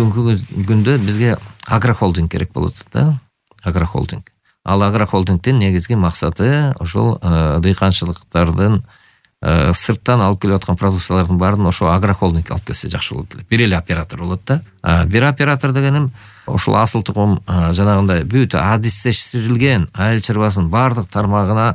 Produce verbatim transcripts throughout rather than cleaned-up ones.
бүгүнкү күндө бизге агрохолдинг керек болот да. Агрохолдинг. Ал агрохолдингдин негизги максаты ошол дыйканчылыктардын сырттан алып келип аткан продукциялардын баарын ошо агрохолдинг алып келсе жакшы болот эле. Бир эле оператор болот да. Бир оператор дегеним ошол асыл тукум жанагындай бүт адистештирилген айыл чарбасынын баардык тармагына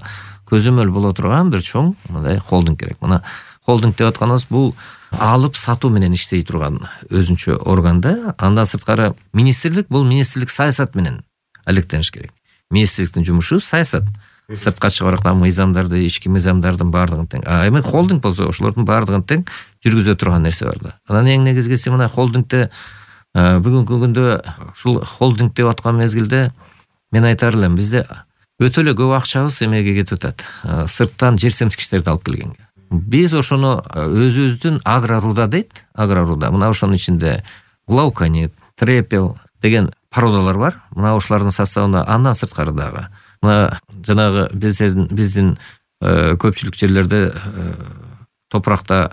көзөмөл боло турган бир чоң мындай холдинг керек. Мына холдинг деп атканыбыз бул алып сатуу менен иштей турган өзүнчө орган да. Андан сырткары министрлик, бул министрлик саясат менен алектениш керек. Министрликтин жумушу саясат. Сыртка чыгарып аткан мыйзамдарды, ички мыйзамдардын баардыгын тең. А эми холдинг болсо ошолордун баардыгын тең жүргүзө турган нерсе бар да. Анан эң негизгиси мына холдингде бүгүнкү күндө ушул холдинг деп аткан мезгилде мен айтар элем, бизде өтө эле көп акчабыз эмеге кетип атат. Сырттан жер семткичтерди алып келгенге. Биз ошону өзүбүздүн агроруда дейт, агроруда. Мына ошонун ичинде глауконит, трепел деген породалар бар. Мына ошолордун составында андан сырткары дагы мына жанагы биздин биздин көпчүлүк жерлерде топуракта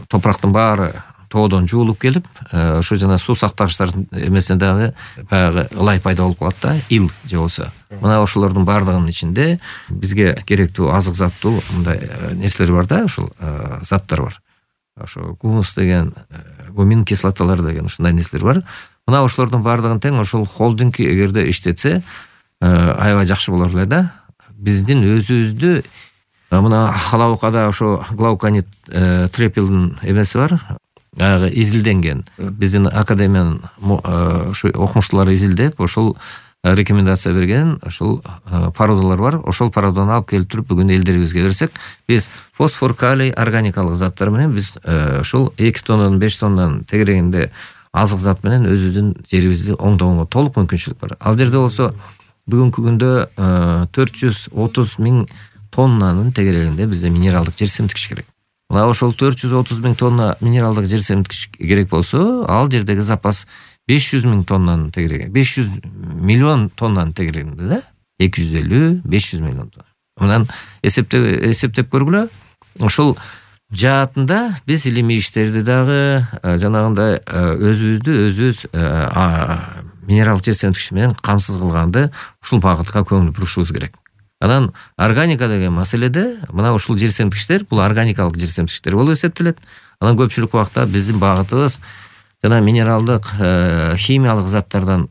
топурактын баары тоодон жуулуп келип, ошо жана суу сактагычтардын эмесинде дагы баягы ылай пайда болуп калат да, ил же болсо. Мына ошолордун баардыгынын ичинде бизге керектүү азык заттуу мындай нерселер бар да, ушул заттар бар. Ошо гумус деген, гумин кислоталар деген ушундай нерселер бар. Мына ошолордун баардыгын тең ошол холдинг эгерде иштетсе, аябай жакшы болор эле да. Биздин өзүбүздү мына халабыкада ошо глауконит трепелдин эмеси бар. Ага изилденген. Биздин академиянын ошо окумуштуулары изилдеп, ошол рекомендация берген, ошол породалар бар. Ошол породаны алып келип туруп бүгүн элдерибизге берсек, биз фосфор, калий, органикалык заттар менен биз ошол эки тоннадан беш тоннадан тегерегинде азык зат менен өзүбүздүн жерибизди оңдогонго толук мүмкүнчүлүк бар. Ал жерде болсо бүгүнкү күндө төрт жүз отуз миң тоннанын тегерегинде бизде минералдык жер семткич керек. Мына ошол төрт жүз отуз миң тонна минералдык жер семткич керек болсо, ал жердеги запас беш жүз миң тоннанын тегереги, беш жүз миллион тоннанын тегерегинде да, эки жүз элүү беш жүз миллион тонна. Мындан эсептеп эсептеп көргүлө. Ошол жаатында биз илимий иштерди дагы жанагындай өзүбүздү өзүбүз минералдык жер семткич менен камсыз кылганды ушул багытка көңүл бурушубуз керек. Анан органика деген маселеде мына ушул жер семткичтер бул органикалык жер семткичтер болуп эсептелет. Анан көпчүлүк убакта биздин багытыбыз жана минералдык химиялык заттардан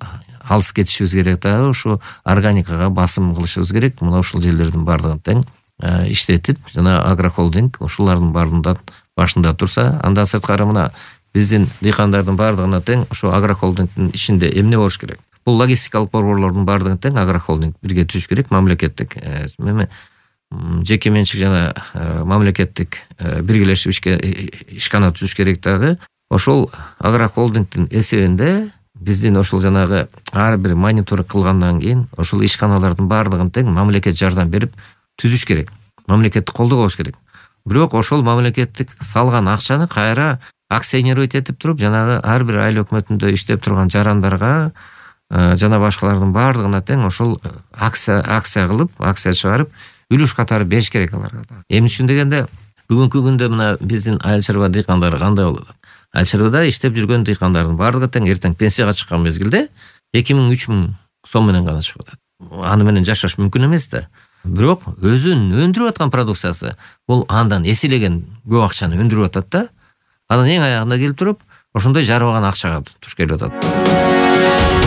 алыс кетишибиз керек дагы, ушу органикага басым кылышыбыз керек. Мына ушул жерлердин баардыгын тең иштетип, жана агрохолдинг ушулардын баарында башында турса, андан сырткары мына биздин дыйкандардын баардыгына тең ошо агрохолдингдин ичинде эмне болуш керек? Бул логистикалык борборлордун баардыгын тең агрохолдинг бирге түзүш керек, мамлекеттик эми жеке менчик жана мамлекеттик биргелешип ишкана түзүш керек дагы. Ошол агрохолдингдин эсебинде биздин ошол жанагы ар бир мониторинг кылгандан кийин ошол ишканалардын баардыгын тең мамлекет жардам берип түзүш керек. Мамлекеттик колдоо болуш керек. Бирок ошол мамлекеттик салган акчаны кайра акционировать этип туруп, жанагы ар бир айыл өкмөтүндө иштеп турган жарандарга жана башкалардын баардыгына тең ошол акция акция кылып, акция чыгарып, үлүш катары бериш керек аларга. Эмне үчүн дегенде, бүгүнкү күндө мына биздин айыл чарба дыйкандары кандай болуп атат? Айыл чарбада иштеп жүргөн дыйкандардын баардыгы тең эртең пенсияга чыккан мезгилде эки миң үч миң сом менен гана чыгып атат. Аны менен жашаш мүмкүн эмес да. Бирок өзүнүн өндүрүп аткан продукциясы бул андан эселеген көп акчаны өндүрүп атат да. Анан эң аягында келип туруп, ошондой жарыбаган акчага туш келип атат.